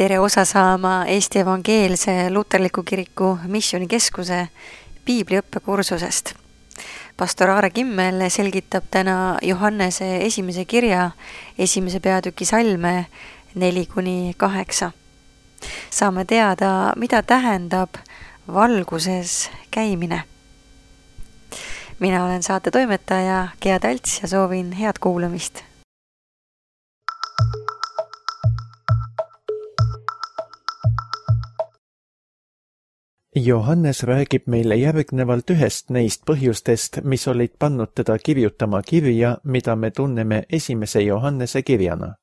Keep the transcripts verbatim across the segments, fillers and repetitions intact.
tere osa saama Eesti Evangeelse Luterliku Kiriku Missioonikeskuse piibliõppekursusest. Pastor Aare Kimmel selgitab täna Johannese esimese kirja esimese peatüki salme neli kuni kaheksa. Saame teada, mida tähendab valguses käimine. Mina olen saate toimetaja Gea Talts ja soovin head kuulamist. Johannes räägib meile järgnevalt ühest neist põhjustest, mis olid pannud teda kirjutama kirja, mida me tunneme esimese Johannese kirjana.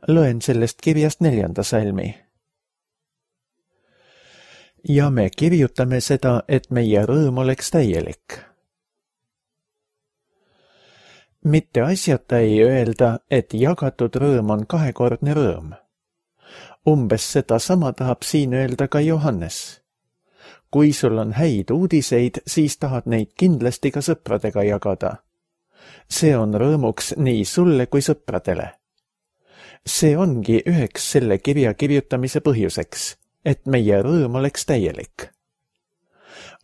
Loen sellest kirjast neljanda salmi. Ja me kirjutame seda, et meie rõõm oleks täielik. Mitte asjata ei öelda, et jagatud rõõm on kahekordne rõõm. Umbes seda sama tahab siin öelda ka Johannes. Kui sul on häid uudiseid, siis tahad neid kindlasti ka sõpradega jagada. See on rõõmuks nii sulle kui sõpradele. See ongi üheks selle kirja kirjutamise põhjuseks, et meie rõõm oleks täielik.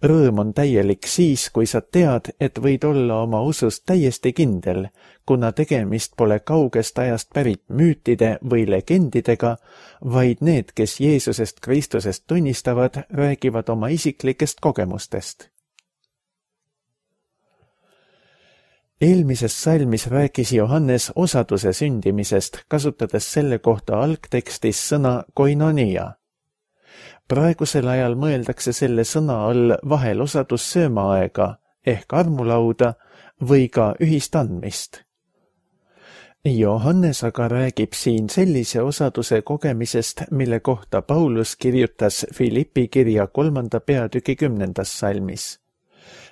Rõõm on täielik siis, kui sa tead, et võid olla oma usust täiesti kindel, kuna tegemist pole kaugest ajast pärit müütide või legendidega, vaid need, kes Jeesusest Kristusest tunnistavad, räägivad oma isiklikest kogemustest. Eelmises salmis rääkis Johannes osaduse sündimisest, kasutades selle kohta algtekstis sõna koinonia. Praegusel ajal mõeldakse selle sõna all vahel osadus söömaaega ehk armulauda või ka ühist andmist. Johannes aga räägib siin sellise osaduse kogemisest, mille kohta Paulus kirjutas Filippi kirja kolmanda peatüki kümnendas salmis.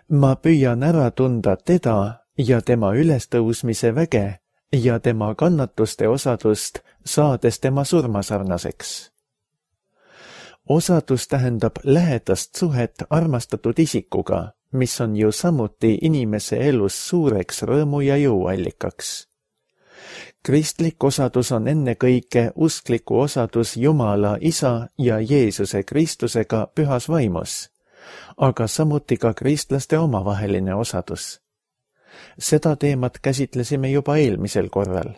Ma püüan ära tunda teda ja tema ülestõusmise väge ja tema kannatuste osadust, saades tema surmasarnaseks. Osadus tähendab lähedast suhet armastatud isikuga, mis on ju samuti inimese elus suureks rõõmu ja jõuallikaks. Kristlik osadus on ennekõike uskliku osadus Jumala Isa ja Jeesuse Kristusega pühas vaimus, aga samuti ka kristlaste omavaheline osadus. Seda teemat käsitlesime juba eelmisel korral.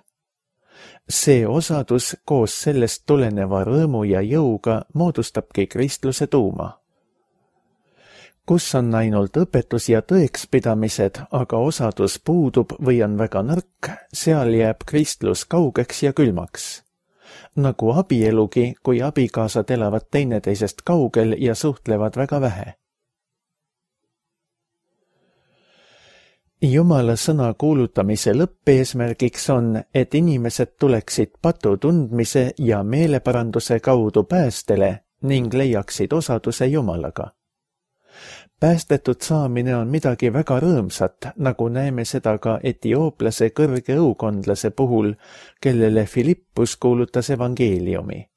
See osadus koos sellest tuleneva rõõmu ja jõuga moodustabki kristluse tuuma. Kus on ainult õpetus ja tõekspidamised, aga osadus puudub või on väga nõrk, seal jääb kristlus kaugeks ja külmaks. Nagu abielugi, kui abikaasad elavad teineteisest kaugel ja suhtlevad väga vähe. Jumala sõna kuulutamise lõppeesmärgiks on, et inimesed tuleksid patu tundmise ja meeleparanduse kaudu päästele ning leiaksid osaduse Jumalaga. Päästetud saamine on midagi väga rõõmsat, nagu näeme seda ka etiooplase kõrge õukondlase puhul, kellele Filippus kuulutas evangeeliumi.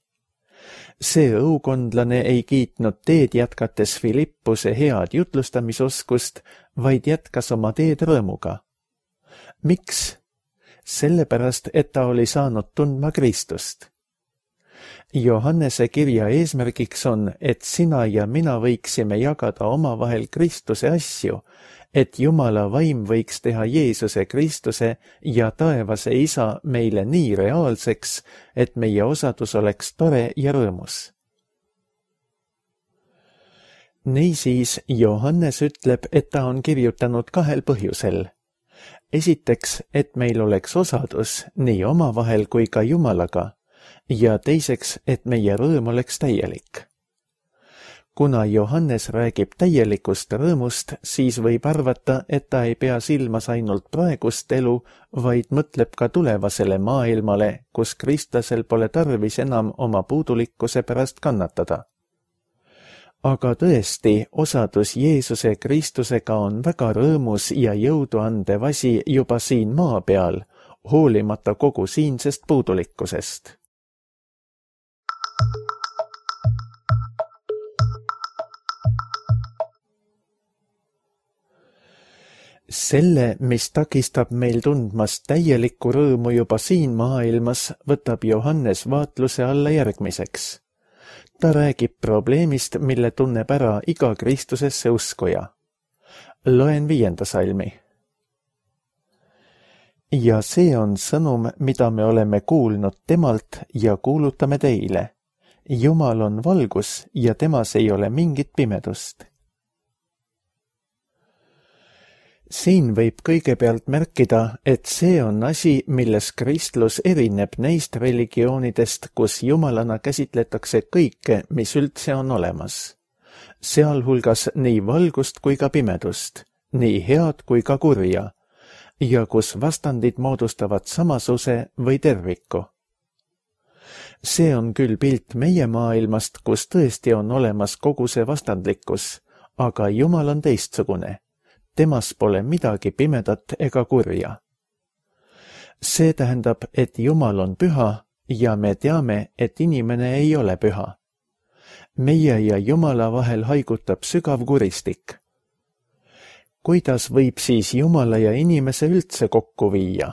See õukondlane ei kiitnud teed jätkates Filippuse head jutlustamisoskust, vaid jätkas oma teed rõõmuga. Miks? Sellepärast, et ta oli saanud tundma Kristust. Johannese kirja eesmärgiks on, et sina ja mina võiksime jagada omavahel Kristuse asju, et Jumala vaim võiks teha Jeesuse Kristuse ja taevase Isa meile nii reaalseks, et meie osadus oleks tore ja rõõmus. Niisiis, Johannes ütleb, et ta on kirjutanud kahel põhjusel. Esiteks, et meil oleks osadus nii omavahel kui ka Jumalaga, ja teiseks, et meie rõõm oleks täielik. Kuna Johannes räägib täielikust rõõmust, siis võib arvata, et ta ei pea silmas ainult praegust elu, vaid mõtleb ka tulevasele maailmale, kus kristlasel pole tarvis enam oma puudulikkuse pärast kannatada. Aga tõesti, osadus Jeesuse Kristusega on väga rõõmus ja jõudu andev asi juba siin maa peal, hoolimata kogu siinsest puudulikkusest. Selle, mis takistab meil tundmast täielikku rõõmu juba siin maailmas, võtab Johannes vaatluse alla järgmiseks. Ta räägib probleemist, mille tunneb ära iga Kristusesse uskuja. Loen viienda salmi. Ja see on sõnum, mida me oleme kuulnud temalt ja kuulutame teile. Jumal on valgus ja temas ei ole mingit pimedust. Siin võib kõigepealt märkida, et see on asi, milles kristlus erineb neist religioonidest, kus jumalana käsitletakse kõike, mis üldse on olemas. Sealhulgas nii valgust kui ka pimedust, nii head kui ka kurja, ja kus vastandid moodustavad samasuse või terviku. See on küll pilt meie maailmast, kus tõesti on olemas kogu see vastandlikkus, aga Jumal on teistsugune. Temas pole midagi pimedat ega kurja. See tähendab, et Jumal on püha ja me teame, et inimene ei ole püha. Meie ja Jumala vahel haigutab sügav kuristik. Kuidas võib siis Jumala ja inimese üldse kokku viia?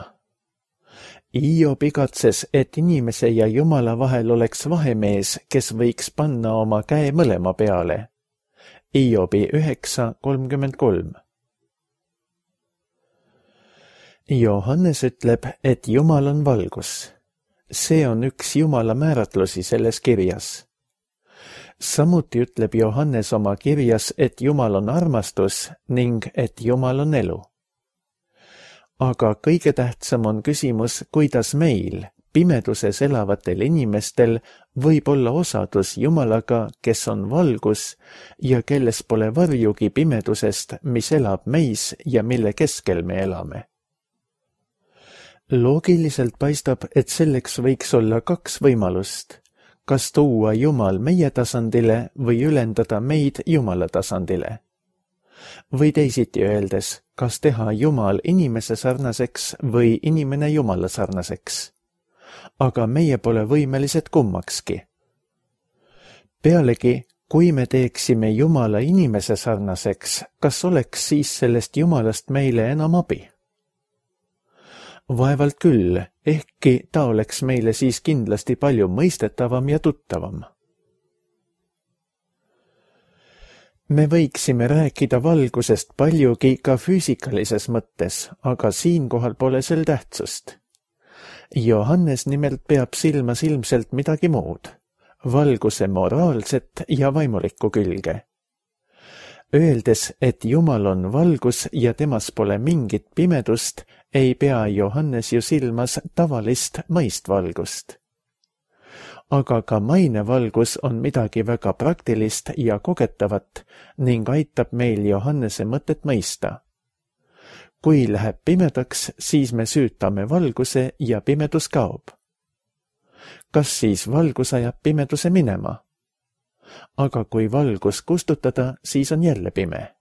Hiob igatses, et inimese ja Jumala vahel oleks vahemees, kes võiks panna oma käe mõlema peale. Hiobi üheksa kolmkümmend kolm. Johannes ütleb, et Jumal on valgus. See on üks Jumala määratlusi selles kirjas. Samuti ütleb Johannes oma kirjas, et Jumal on armastus ning et Jumal on elu. Aga kõige tähtsam on küsimus, kuidas meil, pimeduses elavatel inimestel, võib olla osadus Jumalaga, kes on valgus ja kelles pole varjugi pimedusest, mis elab meis ja mille keskel me elame. Loogiliselt paistab, et selleks võiks olla kaks võimalust, kas tuua Jumal meie tasandile või ülendada meid Jumala tasandile. Või teisiti öeldes, kas teha Jumal inimese sarnaseks või inimene Jumala sarnaseks. Aga meie pole võimelised kummakski. Pealegi, kui me teeksime Jumala inimese sarnaseks, kas oleks siis sellest Jumalast meile enam abi? Vaevalt küll, ehkki ta oleks meile siis kindlasti palju mõistetavam ja tuttavam. Me võiksime rääkida valgusest paljugi ka füüsikalises mõttes, aga siinkohal pole sel tähtsust. Johannes nimelt peab silmas ilmselt midagi muud, valguse moraalset ja vaimulikku külge. Öeldes, et Jumal on valgus ja temas pole mingit pimedust, ei pea Johannes ju silmas tavalist mõistvalgust. Aga ka mainevalgus on midagi väga praktilist ja kogetavat ning aitab meil Johannese mõtet mõista. Kui läheb pimedaks, siis me süütame valguse ja pimedus kaob. Kas siis valgus ajab pimeduse minema? Aga kui valgus kustutada, siis on jälle pime.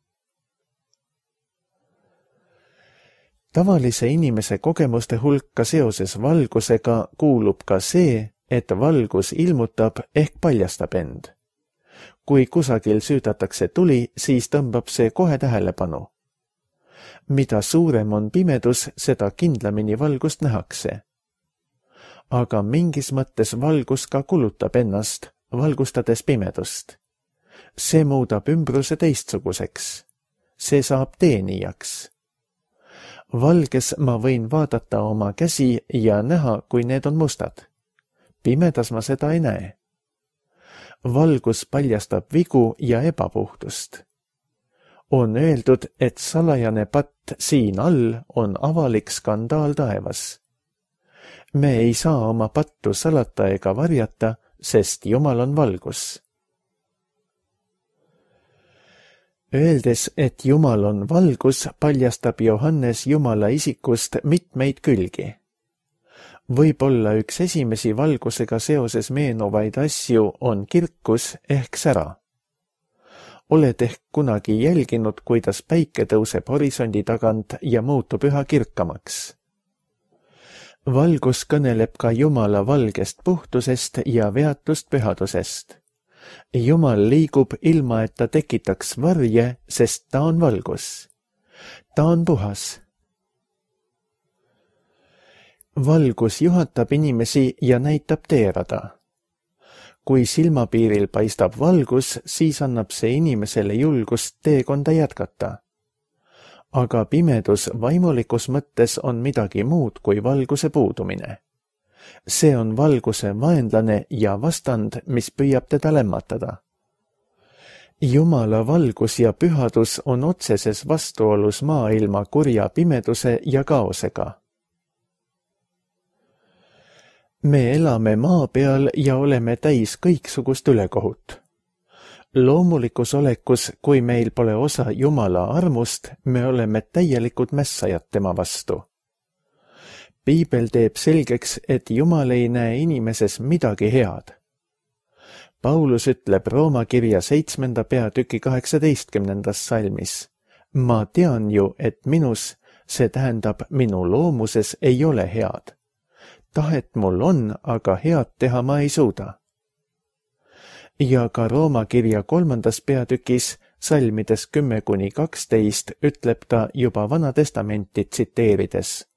Tavalise inimese kogemuste hulka seoses valgusega kuulub ka see, et valgus ilmutab ehk paljastab end. Kui kusagil süüdatakse tuli, siis tõmbab see kohe tähelepanu. Mida suurem on pimedus, seda kindlamini valgust nähakse. Aga mingis mõttes valgus ka kulutab ennast, valgustades pimedust. See muudab ümbruse teistsuguseks. See saab teenijaks. Valges ma võin vaadata oma käsi ja näha, kui need on mustad. Pimedas ma seda ei näe. Valgus paljastab vigu ja ebapuhtust. On öeldud, et salajane patt siin all on avalik skandaal taevas. Me ei saa oma pattu salata ega varjata, sest Jumal on valgus. Öeldes, et Jumal on valgus, paljastab Johannes Jumala isikust mitmeid külgi. Võib-olla üks esimesi valgusega seoses meenuvaid asju on kirkus ehk sära. Oled ehk kunagi jälginud, kuidas päike tõuseb horisondi tagant ja muutub üha kirkamaks. Valgus kõneleb ka Jumala valgest puhtusest ja veatust pühadusest. Jumal liigub ilma, et ta tekitaks varje, sest ta on valgus. ta on puhas. Valgus juhatab inimesi ja näitab teerada. Kui silmapiiril paistab valgus, siis annab see inimesele julgust teekonda jätkata. Aga pimedus vaimulikus mõttes on midagi muud kui valguse puudumine. See on valguse vaenlane ja vastand, mis püüab teda lämmatada. Jumala valgus ja pühadus on otseses vastuolus maailma kurja pimeduse ja kaosega. Me elame maa peal ja oleme täis kõiksugust ülekohut. Loomulikus olekus, kui meil pole osa Jumala armust, me oleme täielikud mässajad tema vastu. Piibel teeb selgeks, et Jumal ei näe inimeses midagi head. Paulus ütleb Rooma kirja seitsmenda peatüki kaheksateistkümnendas salmis. Ma tean ju, et minus, see tähendab minu loomuses, ei ole head. Tahet mul on, aga head teha ma ei suuda. Ja ka Rooma kirja kolmandas peatükis, salmides kümme kuni kaksteist, ütleb ta juba Vana Testamenti tsiteerides.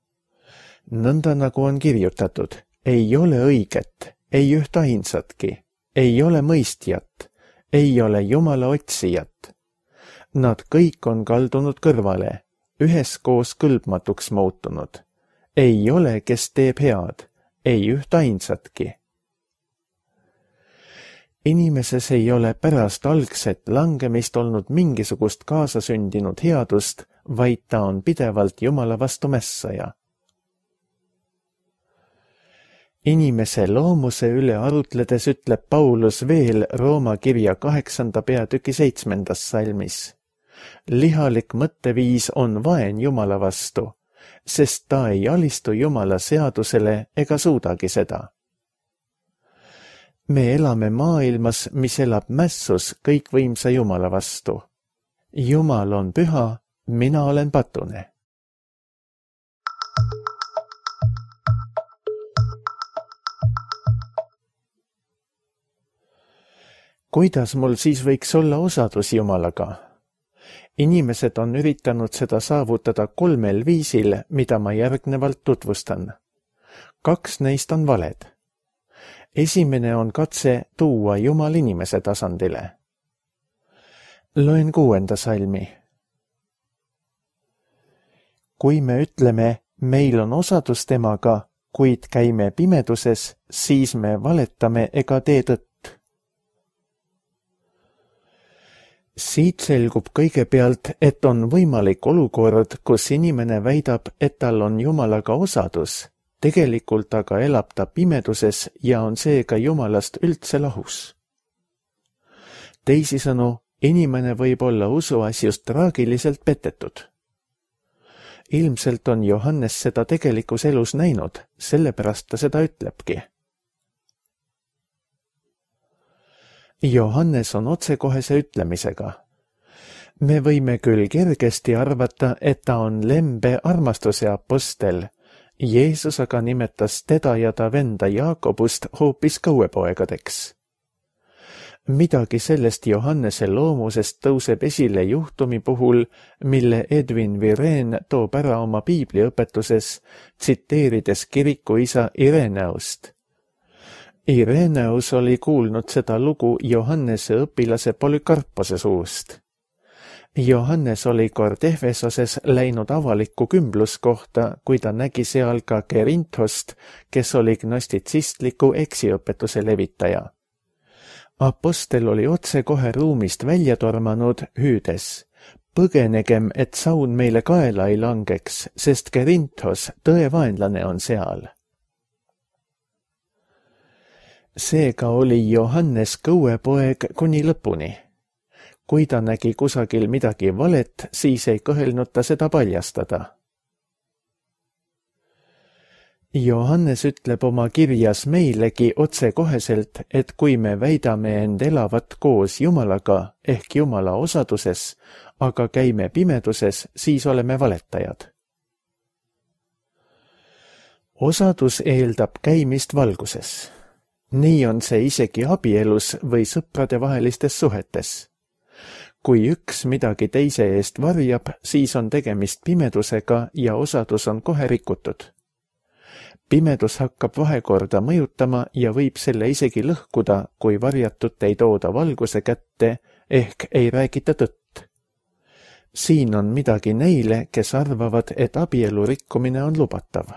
Nõnda nagu on kirjutatud, ei ole õiget, ei üht ainsatki, ei ole mõistjat, ei ole Jumala otsijat. Nad kõik on kaldunud kõrvale, üheskoos kõlbmatuks muutunud. Ei ole, kes teeb head, ei üht ainsatki. Inimeses ei ole pärast algset langemist olnud mingisugust kaasasündinud headust, vaid ta on pidevalt Jumala vastu mässaja. Inimese loomuse üle arutledes ütleb Paulus veel Rooma kirja kaheksanda peatüki seitsmendas salmis. Lihalik mõtteviis on vaen Jumala vastu, sest ta ei alistu Jumala seadusele ega suudagi seda. Me elame maailmas, mis elab mässus kõikvõimsa Jumala vastu. Jumal on püha, mina olen patune. Kuidas mul siis võiks olla osadus Jumalaga? Inimesed on üritanud seda saavutada kolmel viisil, mida ma järgnevalt tutvustan. Kaks neist on valed. Esimene on katse tuua Jumal inimese tasandile. Loen kuuenda salmi. Kui me ütleme, meil on osadus temaga, kuid käime pimeduses, siis me valetame ega tee tõtt. Siit selgub kõigepealt, et on võimalik olukord, kus inimene väidab, et tal on Jumalaga osadus, tegelikult aga elab ta pimeduses ja on seega Jumalast üldse lahus. Teisisõnu, inimene võib olla usuasjust traagiliselt petetud. Ilmselt on Johannes seda tegelikus elus näinud, sellepärast ta seda ütlebki. Johannes on otsekohese ütlemisega. Me võime küll kergesti arvata, et ta on lembe armastuse apostel. Jeesus aga nimetas teda ja ta venda Jaakobust hoopis kõuepoegadeks. Midagi sellest Johannese loomusest tõuseb esile juhtumi puhul, mille Edwin Vireen toob ära oma piibliõpetuses, tsiteerides kirikuisa Ireneust. Ireneus oli kuulnud seda lugu Johannese õpilase Polükarpose suust. Johannes oli kord Efesoses läinud avalikku kümbluskohta, kui ta nägi seal ka Kerinthost, kes oli gnostitsistliku eksiõpetuse levitaja. Apostel oli otse kohe ruumist välja tormanud, hüüdes. Põgenegem, et saun meile kaela ei langeks, sest Kerinthos, tõe vaenlane, on seal. Seega oli Johannes kõuepoeg kuni lõpuni. Kui ta nägi kusagil midagi valet, siis ei kõhelnud ta seda paljastada. Johannes ütleb oma kirjas meilegi otsekoheselt, et kui me väidame end elavat koos Jumalaga ehk Jumala osaduses, aga käime pimeduses, siis oleme valetajad. Osadus eeldab käimist valguses. Nii on see isegi abielus või sõprade vahelistes suhetes. kui üks midagi teise eest varjab, siis on tegemist pimedusega ja osadus on kohe rikutud. Pimedus hakkab vahekorda mõjutama ja võib selle isegi lõhkuda, kui varjatut ei tooda valguse kätte ehk ei räägita tõtt. Siin on midagi neile, kes arvavad, et abielu rikkumine on lubatav.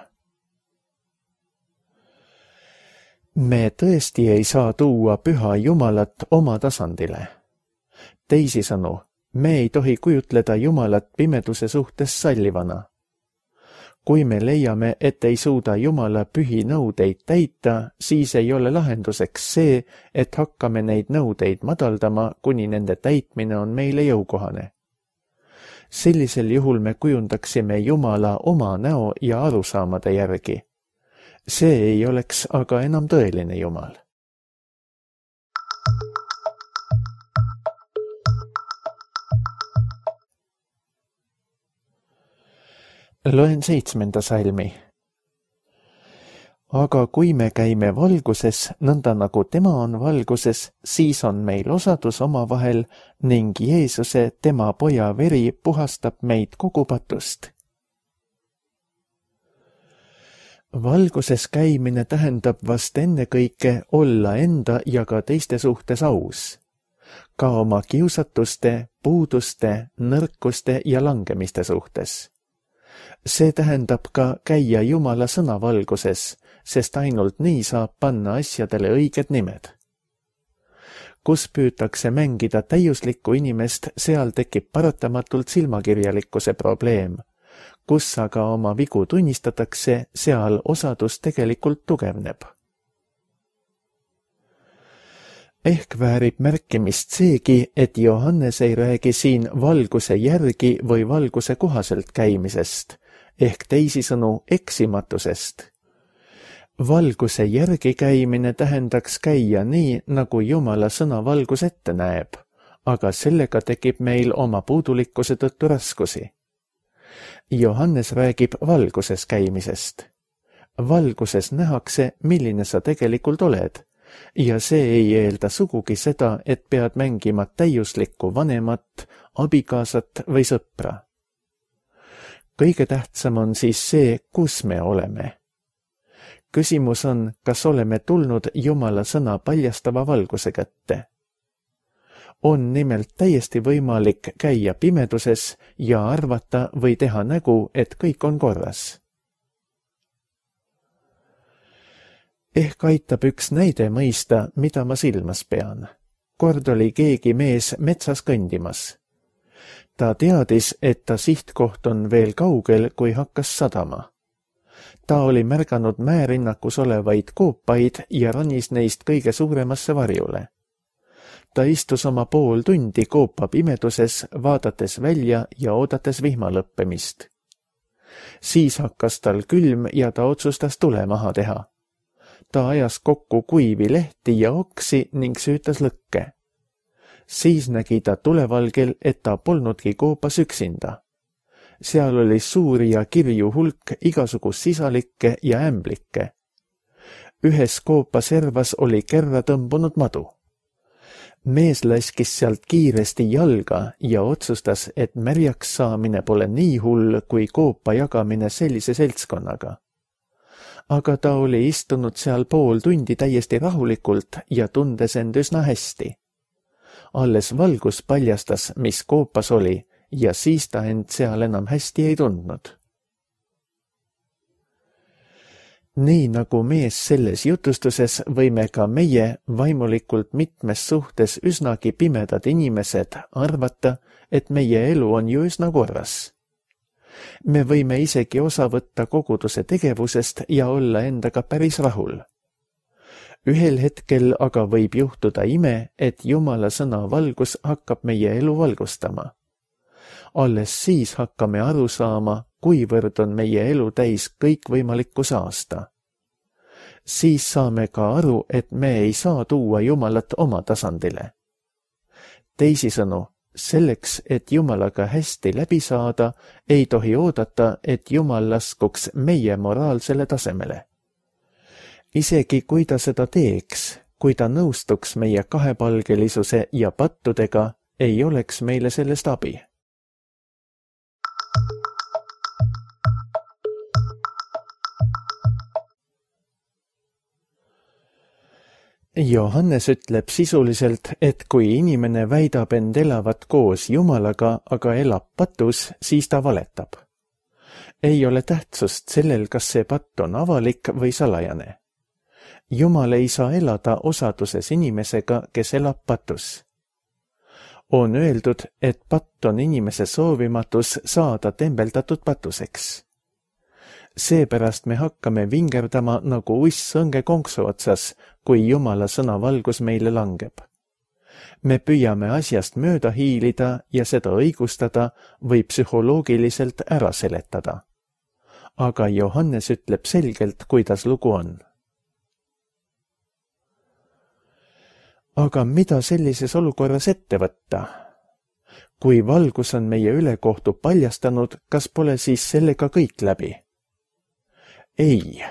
Me tõesti ei saa tuua püha Jumalat oma tasandile. Teisisõnu, me ei tohi kujutleda Jumalat pimeduse suhtes sallivana. Kui me leiame, et ei suuda Jumala pühi nõudeid täita, siis ei ole lahenduseks see, et hakkame neid nõudeid madaldama, kuni nende täitmine on meile jõukohane. Sellisel juhul me kujundaksime Jumala oma näo ja arusaamade järgi. See ei oleks aga enam tõeline Jumal. Loen seitsmenda salmi. Aga kui me käime valguses, nõnda nagu tema on valguses, siis on meil osadus omavahel ning Jeesuse, tema poja veri, puhastab meid kogu patust. Valguses käimine tähendab vast ennekõike olla enda ja ka teiste suhtes aus, ka oma kiusatuste, puuduste, nõrkuste ja langemiste suhtes. See tähendab ka käia Jumala sõna valguses, sest ainult nii saab panna asjadele õiged nimed. Kus püütakse mängida täiuslikku inimest, seal tekib paratamatult silmakirjalikkuse probleem. Kus aga oma vigu tunnistatakse, seal osadus tegelikult tugevneb. Ehk väärib märkimist seegi, et Johannes ei räägi siin valguse järgi või valguse kohaselt käimisest, ehk teisisõnu eksimatusest. Valguse järgi käimine tähendaks käia nii, nagu Jumala sõna valgus ette näeb, aga sellega tekib meil oma puudulikkuse tõttu raskusi. Johannes räägib valguses käimisest. Valguses nähakse, milline sa tegelikult oled, ja see ei eelda sugugi seda, et pead mängima täiuslikku vanemat, abikaasat või sõpra. Kõige tähtsam on siis see, kus me oleme. Küsimus on, kas oleme tulnud Jumala sõna paljastava valguse kätte. On nimelt täiesti võimalik käia pimeduses ja arvata või teha nägu, et kõik on korras. Ehk aitab üks näide mõista, mida ma silmas pean. Kord oli keegi mees metsas kõndimas. Ta teadis, et ta sihtkoht on veel kaugel, kui hakkas sadama. Ta oli märganud määrinnakus olevaid koopaid ja ranis neist kõige suuremasse varjule. Ta istus oma pool tundi koopa pimeduses, vaadates välja ja oodates vihma lõppemist. Siis hakkas tal külm ja ta otsustas tule maha teha. Ta ajas kokku kuivi lehti ja oksi ning süütas lõkke. Siis nägi ta tulevalgel, et ta polnudki koopas üksinda. Seal oli suuri ja kirju hulk igasugust sisalikke ja ämblikke. Ühes koopa servas oli kerra tõmbunud madu. Mees laskis sealt kiiresti jalga ja otsustas, et märjaks saamine pole nii hull kui koopa jagamine sellise seltskonnaga. Aga ta oli istunud seal pool tundi täiesti rahulikult ja tundes end üsna hästi. Alles valgus paljastas, mis koopas oli, ja siis ta end seal enam hästi ei tundnud. Nii nagu mees selles jutustuses, võime ka meie vaimulikult mitmes suhtes üsnagi pimedad inimesed arvata, et meie elu on ju üsna korras. Me võime isegi osa võtta koguduse tegevusest ja olla endaga päris rahul. Ühel hetkel aga võib juhtuda ime, et Jumala sõna valgus hakkab meie elu valgustama. Alles siis hakkame aru saama, kuivõrd on meie elu täis kõikvõimalikku saasta. Siis saame ka aru, et me ei saa tuua Jumalat oma tasandile. Teisisõnu, selleks, et Jumalaga hästi läbi saada, ei tohi oodata, et Jumal laskuks meie moraalsele tasemele. Isegi kui ta seda teeks, kui ta nõustuks meie kahepalgelisuse ja pattudega, ei oleks meile sellest abi. Johannes ütleb sisuliselt, et kui inimene väidab end elavat koos Jumalaga, aga elab patus, siis ta valetab. Ei ole tähtsust sellel, kas see patt on avalik või salajane. Jumal ei saa elada osaduses inimesega, kes elab patus. On öeldud, et patt on inimese soovimatus saada tembeldatud patuseks. Seepärast me hakkame vingerdama nagu uss õnge konksu otsas, kui Jumala sõna valgus meile langeb. Me püüame asjast mööda hiilida ja seda õigustada või psühholoogiliselt ära seletada. Aga Johannes ütleb selgelt, kuidas lugu on. Aga mida sellises olukorras ette võtta? Kui valgus on meie ülekohtu paljastanud, kas pole siis sellega kõik läbi? Ei.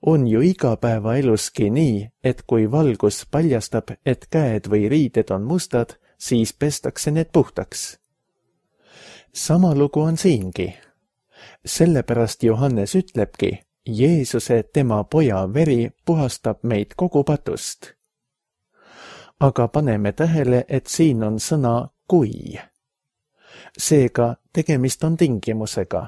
On ju igapäevaeluski nii, et kui valgus paljastab, et käed või riided on mustad, siis pestakse need puhtaks. Sama lugu on siingi. Sellepärast Johannes ütlebki, Jeesuse tema poja veri puhastab meid kogu patust. Aga paneme tähele, et siin on sõna kui. Seega tegemist on tingimusega.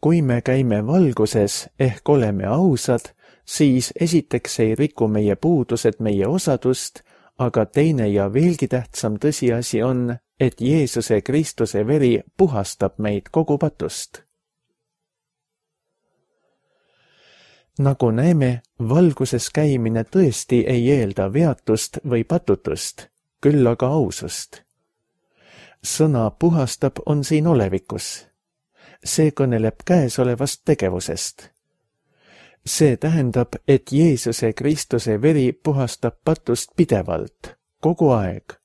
Kui me käime valguses ehk oleme ausad, siis esiteks ei riku meie puudused meie osadust, aga teine ja veelgi tähtsam tõsiasi on, et Jeesuse Kristuse veri puhastab meid kogu patust. Nagu näeme, valguses käimine tõesti ei eelda veatust või patutust, küll aga ausust. Sõna puhastab on siin olevikus. See kõneleb käesolevast tegevusest. See tähendab, et Jeesuse Kristuse veri puhastab patust pidevalt, kogu aeg.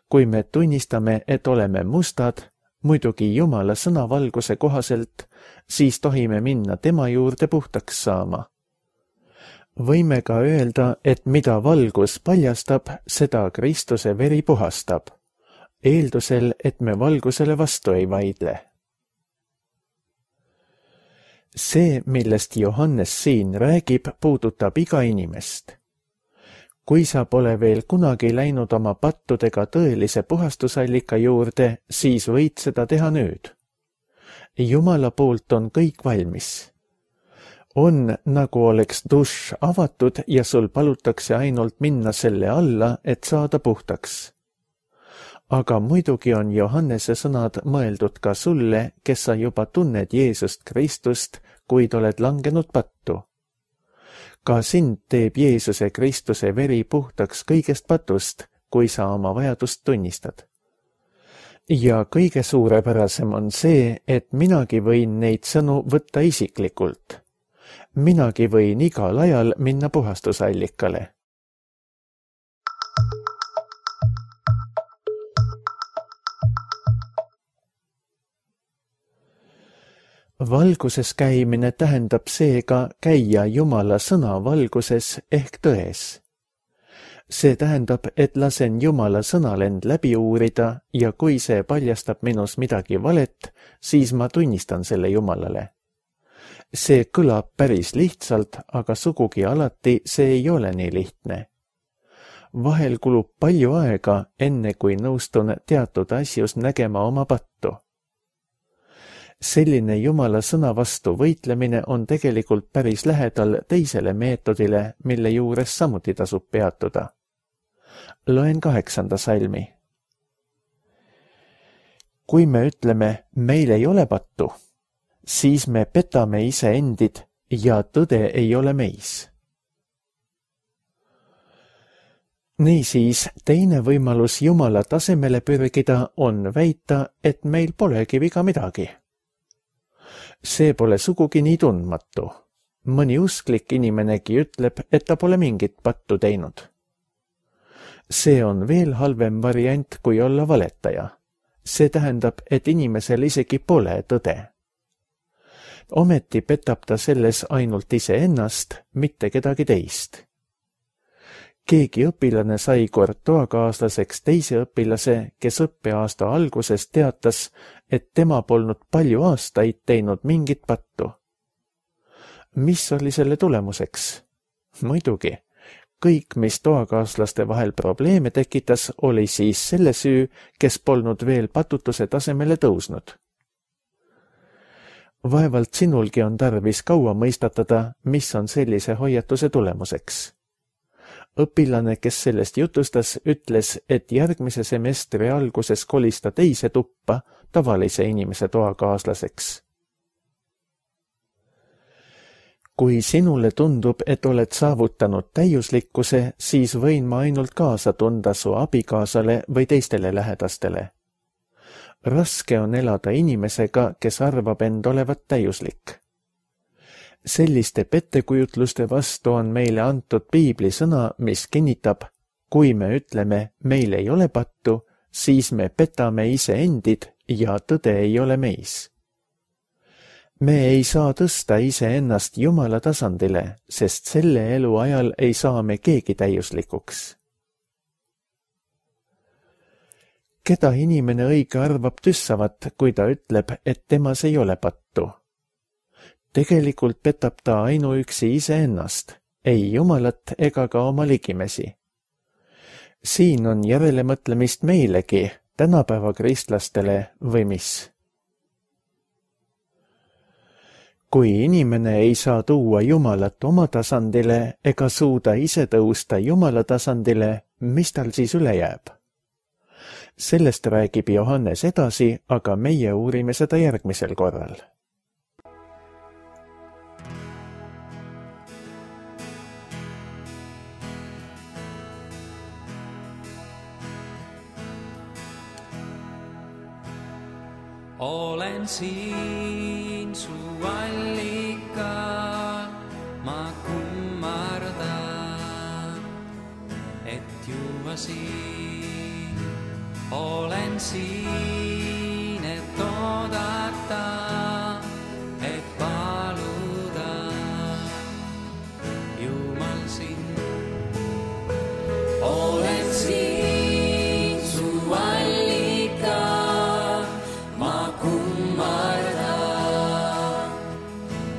Kui me tunnistame, et oleme mustad, muidugi Jumala sõnavalguse kohaselt, siis tohime minna tema juurde puhtaks saama. Võime ka öelda, et mida valgus paljastab, seda Kristuse veri puhastab, eeldusel, et me valgusele vastu ei vaidle. See, millest Johannes siin räägib, puudutab iga inimest. Kui sa pole veel kunagi läinud oma pattudega tõelise puhastusallika juurde, siis võid seda teha nüüd. Jumala poolt on kõik valmis. On, nagu oleks dušš avatud ja sul palutakse ainult minna selle alla, et saada puhtaks. Aga muidugi on Johannese sõnad mõeldud ka sulle, kes sa juba tunned Jeesust Kristust, kuid oled langenud pattu. Ka sind teeb Jeesuse Kristuse veri puhtaks kõigest patust, kui sa oma vajadust tunnistad. Ja kõige suurepärasem on see, et minagi võin neid sõnu võtta isiklikult. Minagi võin igal ajal minna puhastusallikale. Valguses käimine tähendab seega käia Jumala sõna valguses ehk tões. See tähendab, et lasen Jumala sõnal end läbi uurida ja kui see paljastab minus midagi valet, siis ma tunnistan selle Jumalale. See kõlab päris lihtsalt, aga sugugi alati see ei ole nii lihtne. Vahel kulub palju aega, enne kui nõustun teatud asjus nägema oma pattu. Selline Jumala sõna vastu võitlemine on tegelikult päris lähedal teisele meetodile, mille juures samuti tasub peatuda. Loen kaheksanda salmi. Kui me ütleme, meil ei ole pattu, siis me petame iseendid ja tõde ei ole meis. Niisiis, teine võimalus Jumala tasemele pürgida on väita, et meil polegi viga midagi. See pole sugugi nii tundmatu. Mõni usklik inimenegi ütleb, et ta pole mingit pattu teinud. See on veel halvem variant, kui olla valetaja. See tähendab, et inimesel isegi pole tõde. Ometi petab ta selles ainult iseennast, mitte kedagi teist. keegi õpilane sai kord toakaaslaseks teise õpilase, kes õppeaasta alguses teatas, et tema polnud palju aastaid teinud mingit pattu. Mis oli selle tulemuseks? Muidugi, kõik, mis toakaaslaste vahel probleeme tekitas, oli siis selle süü, kes polnud veel patutuse tasemele tõusnud. Vaevalt sinulgi on tarvis kaua mõistatada, mis on sellise hoiatuse tulemuseks. Õpilane, kes sellest jutustas, ütles, et järgmise semestri alguses kolis ta teise tuppa tavalise inimese toakaaslaseks. Kui sinule tundub, et oled saavutanud täiuslikkuse, siis võin ma ainult kaasa tunda su abikaasale või teistele lähedastele. Raske on elada inimesega, kes arvab end olevat täiuslik. Selliste pettekujutluste vastu on meile antud piibli sõna, mis kinnitab, kui me ütleme, meil ei ole pattu, siis me petame ise endid ja tõde ei ole meis. Me ei saa tõsta iseennast Jumala tasandile, sest selle elu ajal ei saa me keegi täiuslikuks. Keda inimene õige arvab tüssavat, kui ta ütleb, et temas ei ole pattu? Tegelikult petab ta ainuüksi iseennast, ei Jumalat ega ka oma ligimesi. Siin on järelemõtlemist meilegi, tänapäeva kristlastele või mis. Kui inimene ei saa tuua Jumalat oma tasandile ega suuda ise tõusta Jumala tasandile, mis tal siis üle jääb? Sellest räägib Johannes edasi, aga meie uurime seda järgmisel korral. Olen siin su allikal, ma kummardan, et juua siin. Olen siin, et oodata, et paluda, Jumal sind. Olen siin su allikal, ma kummardan,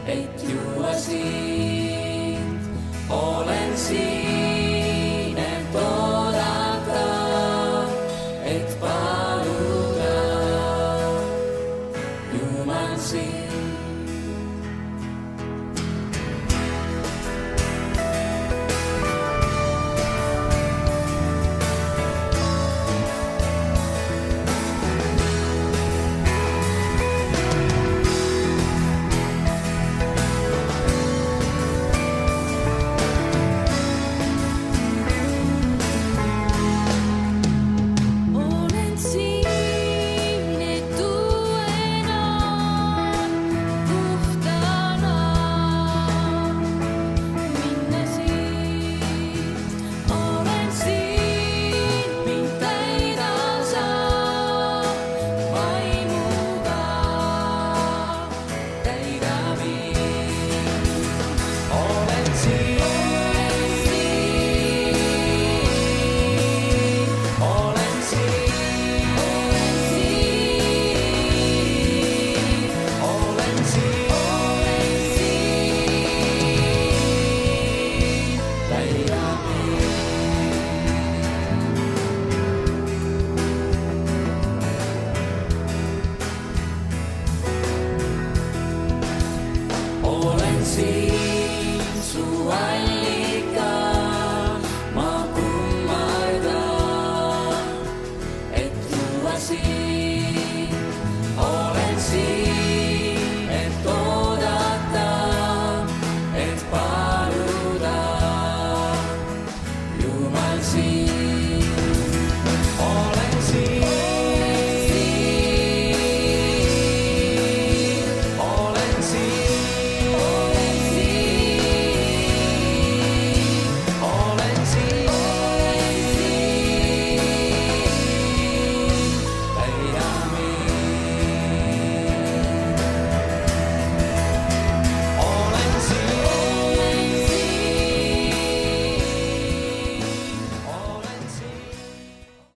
et juua sind. Olen siin, et oodata, et paluda.